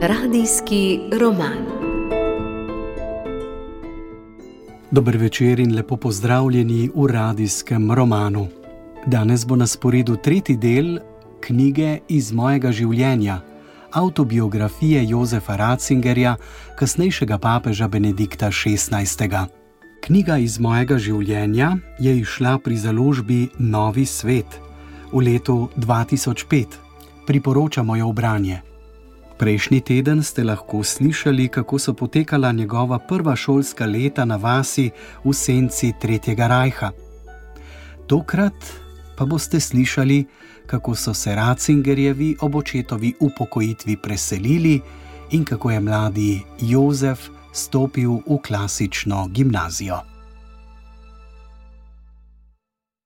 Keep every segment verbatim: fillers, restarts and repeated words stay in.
Radijski roman. Dober večer in lepo pozdravljeni v radijskem romanu. Danes bo na sporedu tretji del knjige Iz mojega življenja, avtobiografije Jozefa Ratzingerja, kasnejšega papeža Benedikta šestnajstega. Knjiga Iz mojega življenja je izšla pri založbi Novi svet v letu dva tisoč pet. Priporočamo jo v branje. Prejšnji teden ste lahko slišali, kako so potekala njegova prva šolska leta na vasi v senci Tretjega rajha. Tokrat pa boste slišali, kako so se Ratzingerjevi ob očetovi upokojitvi preselili in kako je mladi Jozef stopil v klasično gimnazijo.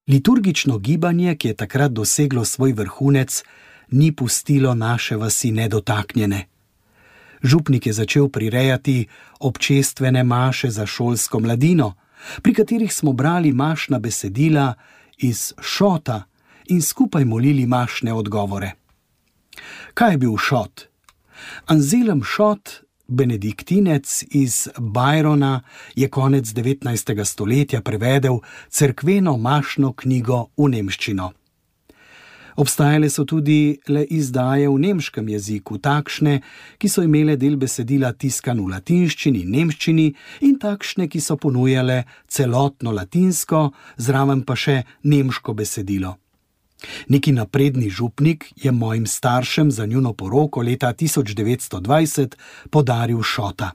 Liturgično gibanje, ki je takrat doseglo svoj vrhunec, ni pustilo naše vasi nedotaknjene. Župnik je začel prirejati občestvene maše za šolsko mladino, pri katerih smo brali mašna besedila iz šota in skupaj molili mašne odgovore. Kaj je bil šot? Anselm Šot, benediktinec iz Byrona, je konec devetnajstega stoletja prevedel cerkveno mašno knjigo v nemščino. Obstajale so tudi le izdaje v nemškem jeziku, takšne, ki so imele del besedila tiskan v latinščini in nemščini, in takšne, ki so ponujale celotno latinsko, zraven pa še nemško besedilo. Neki napredni župnik je mojim staršem za njuno poroko leta tisoč devetsto dvajset podaril Šota.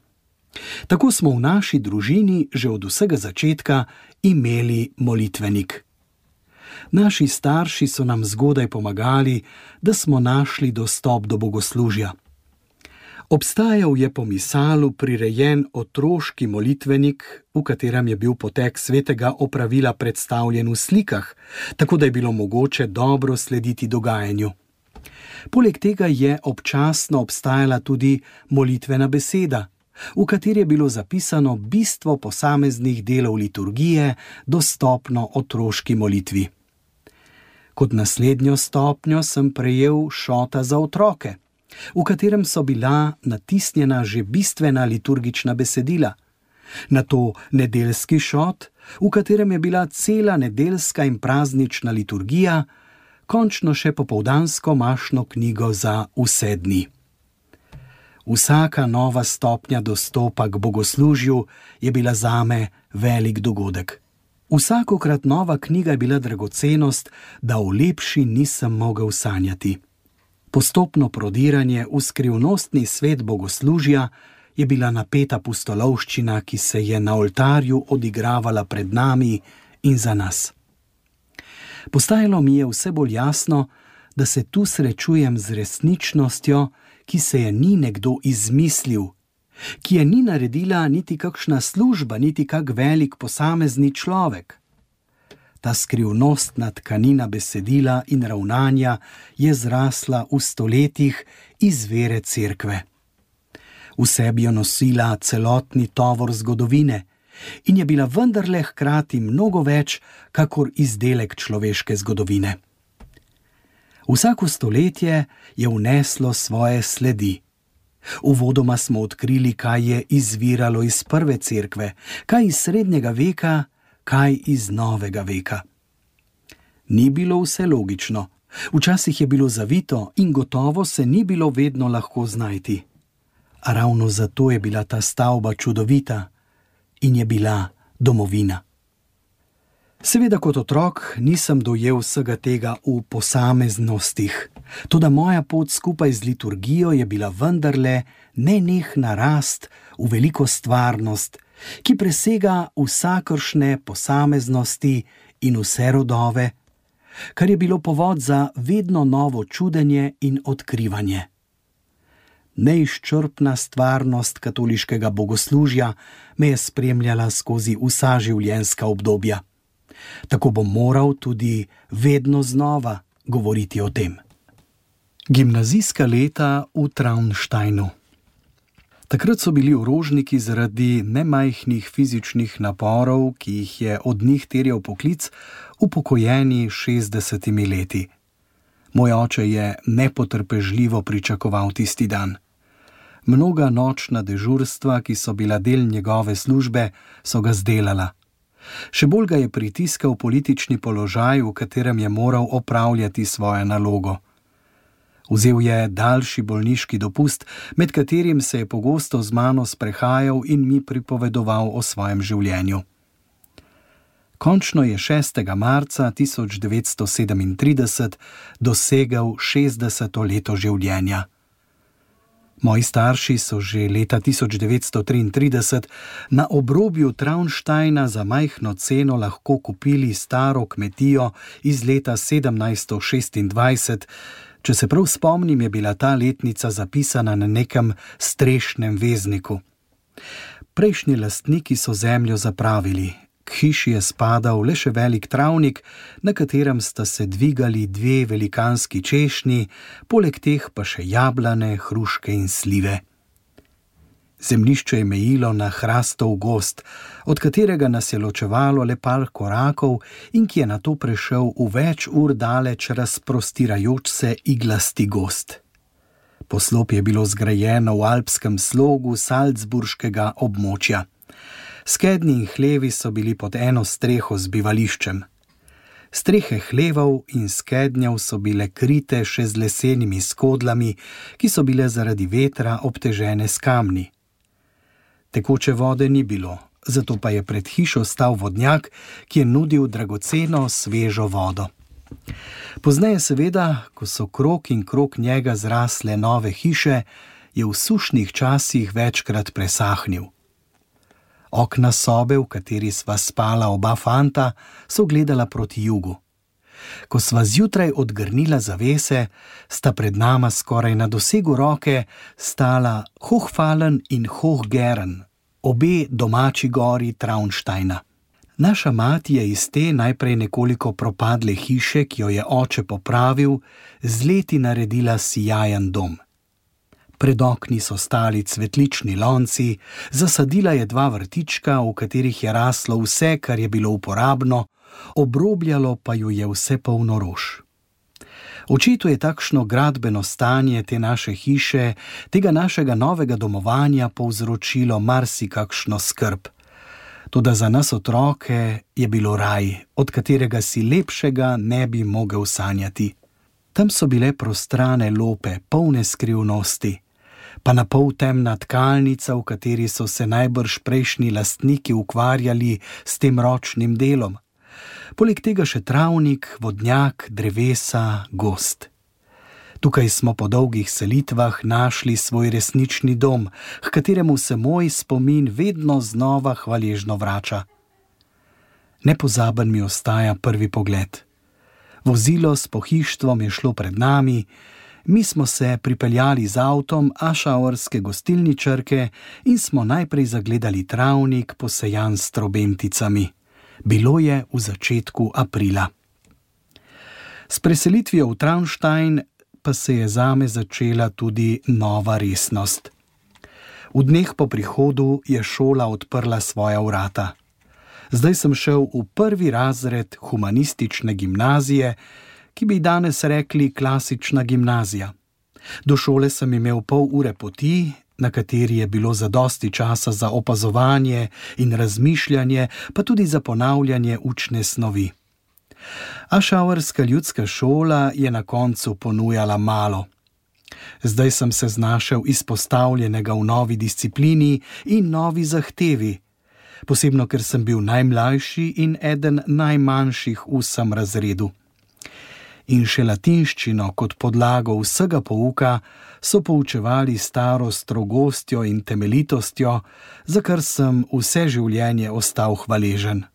Tako smo v naši družini že od vsega začetka imeli molitvenik. Naši starši so nam zgodaj pomagali, da smo našli dostop do bogoslužja. Obstajal je po Misalu prirejen otroški molitvenik, v katerem je bil potek svetega opravila predstavljen v slikah, tako da je bilo mogoče dobro slediti dogajanju. Poleg tega je občasno obstajala tudi molitvena beseda, v kateri je bilo zapisano bistvo posameznih delov liturgije, dostopno otroški molitvi. Kot naslednjo stopnjo sem prejel Šota za otroke, v katerem so bila natisnjena že bistvena liturgična besedila. Nato nedeljski Šot, v katerem je bila cela nedeljska in praznična liturgija, končno še popoldansko mašno knjigo za vse dni. Vsaka nova stopnja dostopa k bogoslužju je bila zame velik dogodek. Vsakokrat nova knjiga je bila dragocenost, da o lepši nisem mogel sanjati. Postopno prodiranje v skrivnostni svet bogoslužja je bila napeta pustolovščina, ki se je na oltarju odigravala pred nami in za nas. Postajalo mi je vse bolj jasno, da se tu srečujem z resničnostjo, ki se je ni nekdo izmislil, ki je ni naredila niti kakšna služba, niti kak velik posamezni človek. Ta skrivnostna tkanina besedila in ravnanja je zrasla v stoletjih iz vere cerkve. V sebi jo nosila celotni tovor zgodovine in je bila vendarle hkrati mnogo več, kakor izdelek človeške zgodovine. Vsako stoletje je vneslo svoje sledi. Uvodoma smo odkrili, kaj je izviralo iz prve cerkve, kaj iz srednjega veka, kaj iz novega veka. Ni bilo vse logično, včasih je bilo zavito in gotovo se ni bilo vedno lahko znajti. A ravno zato je bila ta stavba čudovita in je bila domovina. Seveda kot otrok nisem dojel vsega tega v posameznostih, toda moja pot skupaj z liturgijo je bila vendarle nenehna rast v veliko stvarnost, ki presega vsakršne posameznosti in vse rodove, kar je bilo povod za vedno novo čudenje in odkrivanje. Neizčrpna stvarnost katoliškega bogoslužja me je spremljala skozi vsa življenjska obdobja. Tako bom moral tudi vedno znova govoriti o tem. Gimnazijska leta v Traunsteinu. Takrat so bili orožniki zaradi nemajhnih fizičnih naporov, ki jih je od njih terjal poklic, upokojeni šestdesetimi leti. Moj oče je nepotrpežljivo pričakoval tisti dan. Mnoga nočna dežurstva, ki so bila del njegove službe, so ga zdelala. Še bolj ga je pritiskal politični položaj, v katerem je moral opravljati svojo nalogo. Vzel je daljši bolniški dopust, med katerim se je pogosto z mano sprehajal in mi pripovedoval o svojem življenju. Končno je šestega marca tisoč devetsto sedemintrideset dosegel šestdeseto leto življenja. Moji starši so že leta tisoč devetsto triintrideset na obrobju Traunsteina za majhno ceno lahko kupili staro kmetijo iz leta sedemnajststo šestindvajset. Če se prav spomnim, je bila ta letnica zapisana na nekem strešnem vezniku. Prejšnji lastniki so zemljo zapravili. K hiši je spadal le še velik travnik, na katerem sta se dvigali dve velikanski češnji, poleg teh pa še jablane, hruške in slive. Zemljišče je mejilo na hrastov gozd, od katerega nas je ločevalo le par korakov in ki je nato prešel v več ur daleč razprostirajoč se iglasti gozd. Poslopje je bilo zgrajeno v alpskem slogu salzburškega območja. Skednji in hlevi so bili pod eno streho z bivališčem. Strehe hlevov in skednjev so bile krite še z lesenimi skodlami, ki so bile zaradi vetra obtežene s kamni. Tekoče vode ni bilo, zato pa je pred hišo stal vodnjak, ki je nudil dragoceno svežo vodo. Pozneje seveda, ko so krog in krog njega zrasle nove hiše, je v sušnih časih večkrat presahnil. Okna sobe, v kateri sva spala oba fanta, so gledala proti jugu. Ko sva zjutraj odgrnila zavese, sta pred nama skoraj na dosegu roke stala Hochfallen in Hochgern, obe domači gori Traunsteina. Naša mati je iz te najprej nekoliko propadle hiše, ki jo je oče popravil, z leti naredila sijajen dom. Pred okni so stali cvetlični lonci, zasadila je dva vrtička, v katerih je raslo vse, kar je bilo uporabno, obrobljalo pa ju je vse polno rož. Očetu je takšno gradbeno stanje te naše hiše, tega našega novega domovanja povzročilo marsikakšno skrb. Toda za nas otroke je bilo raj, od katerega si lepšega ne bi mogel sanjati. Tam so bile prostrane lope, polne skrivnosti, pa na pol temna tkalnica, v kateri so se najbrž prejšnji lastniki ukvarjali s tem ročnim delom. Poleg tega še travnik, vodnjak, drevesa, gozd. Tukaj smo po dolgih selitvah našli svoj resnični dom, h kateremu se moj spomin vedno znova hvaležno vrača. Nepozaben mi ostaja prvi pogled. Vozilo s pohištvom je šlo pred nami, mi smo se pripeljali z avtom ašauerske gostilničarke in smo najprej zagledali travnik, posejan s trobenticami. Bilo je v začetku aprila. S preselitvijo v Traunstein pa se je zame začela tudi nova resnost. V dneh po prihodu je šola odprla svoja vrata. Zdaj sem šel v prvi razred humanistične gimnazije, ki bi danes rekli klasična gimnazija. Do šole sem imel pol ure poti, na kateri je bilo zadosti časa za opazovanje in razmišljanje, pa tudi za ponavljanje učne snovi. Ašauerska ljudska šola je na koncu ponujala malo. Zdaj sem se znašel izpostavljenega v novi disciplini in novi zahtevi, posebno ker sem bil najmlajši in eden najmanjših v vsem razredu. In še latinščino kot podlago vsega pouka so poučevali staro strogostjo in temeljitostjo, za kar sem vse življenje ostal hvaležen.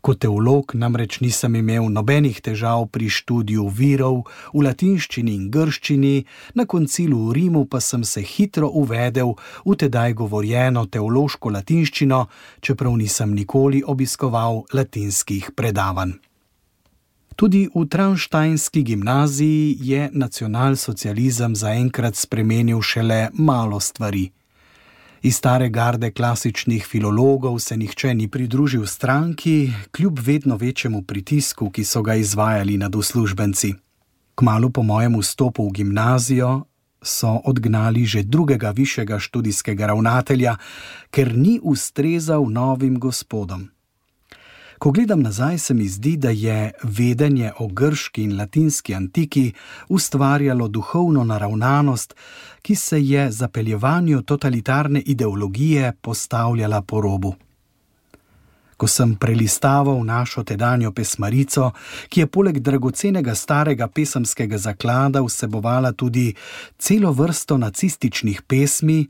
Kot teolog namreč nisem imel nobenih težav pri študiju virov v latinščini in grščini, na koncilu v Rimu pa sem se hitro uvedel v tedaj govorjeno teološko latinščino, čeprav nisem nikoli obiskoval latinskih predavanj. Tudi v Traunsteinski gimnaziji je nacionalsocializem zaenkrat spremenil šele malo stvari. Iz stare garde klasičnih filologov se nihče ni pridružil stranki, kljub vedno večjemu pritisku, ki so ga izvajali nad uslužbenci. Kmalu po mojem vstopu v gimnazijo so odgnali že drugega višjega študijskega ravnatelja, ker ni ustrezal novim gospodom. Ko gledam nazaj, se mi zdi, da je vedenje o grški in latinski antiki ustvarjalo duhovno naravnanost, ki se je zapeljevanju totalitarne ideologije postavljala po robu. Ko sem prelistaval našo tedanjo pesmarico, ki je poleg dragocenega starega pesemskega zaklada vsebovala tudi celo vrsto nacističnih pesmi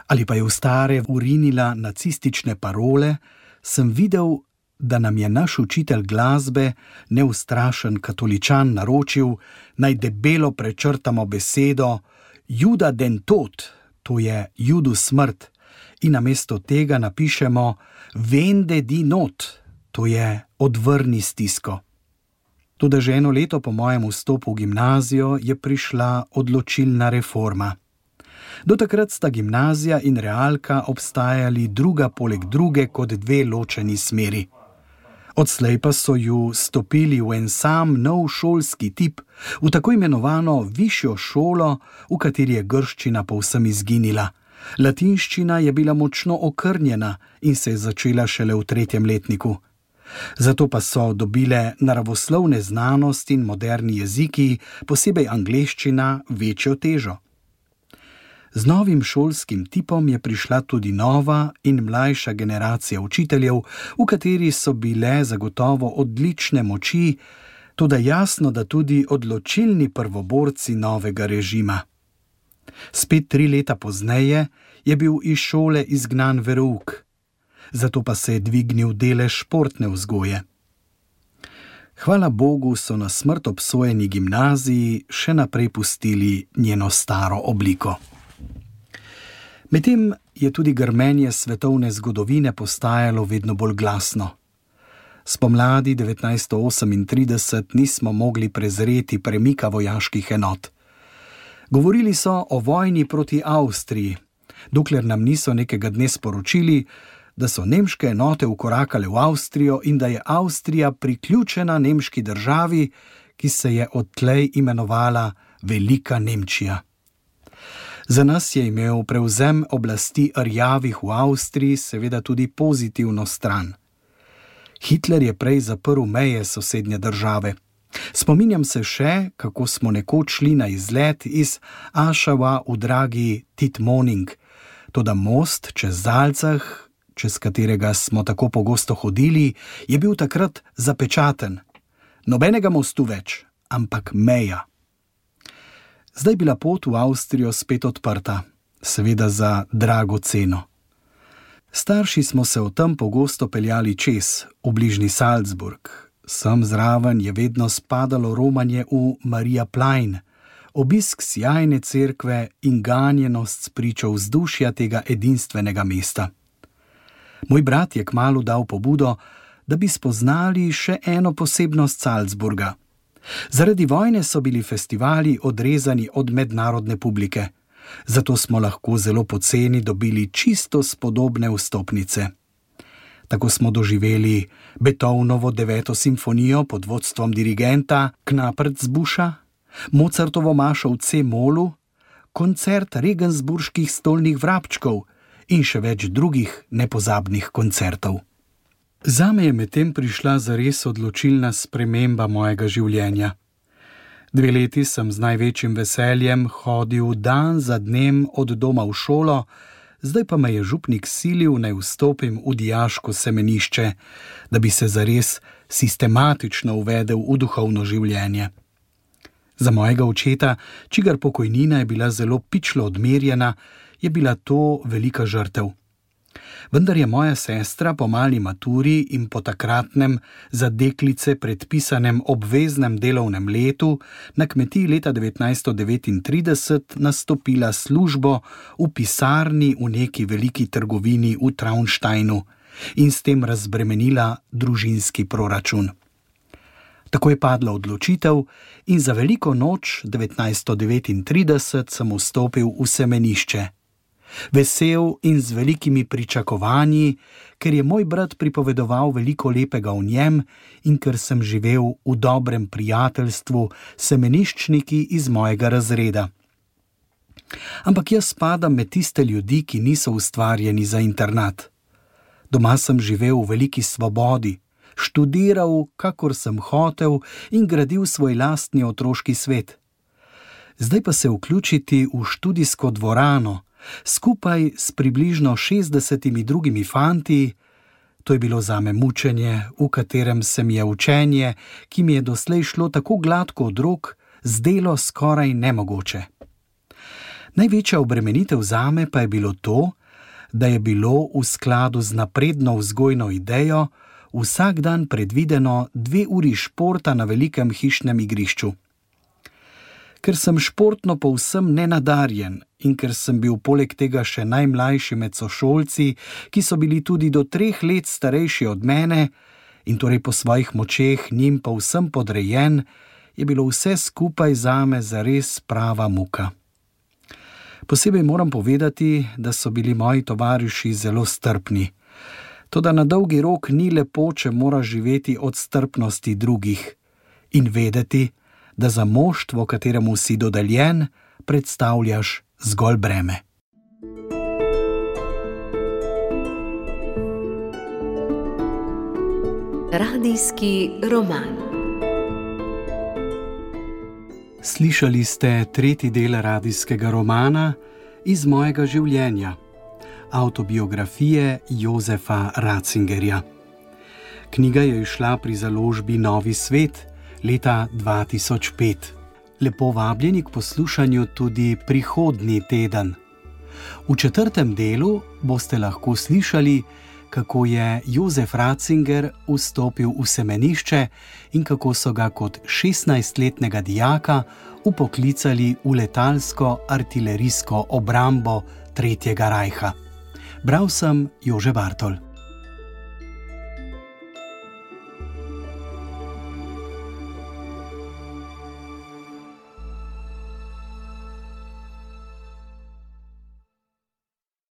ali pa je v stare urinila nacistične parole, sem videl, da nam je naš učitelj glasbe, neustrašen katoličan, naročil, naj debelo prečrtamo besedo Juda den tot, to je Judu smrt, in namesto tega napišemo Vende di not, to je odvrni stisko. Toda že eno leto po mojem vstopu v gimnazijo je prišla odločilna reforma. Do takrat sta gimnazija in realka obstajali druga poleg druge kot dve ločeni smeri. Odslej pa so ju stopili v en sam nov šolski tip, v tako imenovano višjo šolo, v kateri je grščina povsem izginila. Latinščina je bila močno okrnjena in se je začela šele v tretjem letniku. Zato pa so dobile naravoslovne znanosti in moderni jeziki, posebej angleščina, večjo težo. Z novim šolskim tipom je prišla tudi nova in mlajša generacija učiteljev, v kateri so bile zagotovo odlične moči, toda jasno, da tudi odločilni prvoborci novega režima. Spet tri leta pozneje je bil iz šole izgnan verouk, zato pa se je dvignil delež športne vzgoje. Hvala Bogu so na smrt obsojeni gimnaziji še naprej pustili njeno staro obliko. Medtem je tudi grmenje svetovne zgodovine postajalo vedno bolj glasno. Spomladi devetnajststo osemintrideset nismo mogli prezreti premika vojaških enot. Govorili so o vojni proti Avstriji, dokler nam niso nekega dne sporočili, da so nemške enote vkorakale v Avstrijo in da je Avstrija priključena nemški državi, ki se je odtlej imenovala Velika Nemčija. Za nas je imel prevzem oblasti rjavih v Avstriji seveda tudi pozitivno stran. Hitler je prej zaprl meje sosednje države. Spominjam se še, kako smo nekoč šli na izlet iz Ašava v dragi Titmoning, toda most čez Zalcah, čez katerega smo tako pogosto hodili, je bil takrat zapečaten. Nobenega mostu več, ampak meja. Zdaj bila pot v Avstrijo spet odprta, seveda za drago ceno. Starši smo se o tem pogosto peljali čez, v bližnji Salzburg. Sem zraven je vedno spadalo romanje v Mariaplein, obisk sjajne cerkve in ganjenost spričo vzdušja tega edinstvenega mesta. Moj brat je kmalu dal pobudo, da bi spoznali še eno posebnost Salzburga. Zaradi vojne so bili festivali odrezani od mednarodne publike, zato smo lahko zelo poceni dobili čisto spodobne vstopnice. Tako smo doživeli Beethovnovo deveto simfonijo pod vodstvom dirigenta Knapertsbuscha, Mozartovo mašo v C-molu, koncert regensburških stolnih vrabčkov in še več drugih nepozabnih koncertov. Zame je medtem prišla zares odločilna sprememba mojega življenja. Dve leti sem z največjim veseljem hodil dan za dnem od doma v šolo, zdaj pa me je župnik silil, naj vstopim v dijaško semenišče, da bi se zares sistematično uvedel v duhovno življenje. Za mojega očeta, čigar pokojnina je bila zelo pičlo odmerjena, je bila to velika žrtev. Vendar je moja sestra po mali maturi in po takratnem za deklice predpisanem obveznem delovnem letu na kmetiji leta devetnajststo devetintrideset nastopila službo v pisarni v neki veliki trgovini v Traunsteinu in s tem razbremenila družinski proračun. Tako je padla odločitev in za veliko noč devetnajststo devetintrideset sem vstopil v semenišče. Vesel in z velikimi pričakovanji, ker je moj brat pripovedoval veliko lepega o njem in ker sem živel v dobrem prijateljstvu s semeniščniki iz mojega razreda. Ampak jaz spadam med tiste ljudi, ki niso ustvarjeni za internat. Doma sem živel v veliki svobodi, študiral, kakor sem hotel in gradil svoj lastni otroški svet. Zdaj pa se vključiti v študijsko dvorano, skupaj s približno šestdesetimi drugimi fanti, to je bilo zame mučenje, v katerem se mi je učenje, ki mi je doslej šlo tako gladko od rok, zdelo skoraj nemogoče. Največja obremenitev zame pa je bilo to, da je bilo v skladu z napredno vzgojno idejo vsak dan predvideno dve uri športa na velikem hišnem igrišču. Ker sem športno povsem nenadarjen in ker sem bil poleg tega še najmlajši med sošolci, ki so bili tudi do treh let starejši od mene in torej po svojih močeh njim povsem podrejen, je bilo vse skupaj zame zares prava muka. Posebej moram povedati, da so bili moji tovariši zelo strpni. Toda na dolgi rok ni lepo, če moraš živeti od strpnosti drugih in vedeti, da za moštvo, kateremu si dodeljen, predstavljaš zgolj breme. Radijski roman. Slišali ste tretji del radijskega romana Iz mojega življenja, avtobiografije Jozefa Ratzingerja. Knjiga je izšla pri založbi Novi svet leta dva tisoč pet. Lepo vabljeni k poslušanju tudi prihodnji teden. V četrtem delu boste lahko slišali, kako je Jozef Ratzinger vstopil v semenišče in kako so ga kot šestnajstletnega dijaka upoklicali v letalsko artilerijsko obrambo Tretjega rajha. Bral sem Jože Bartol.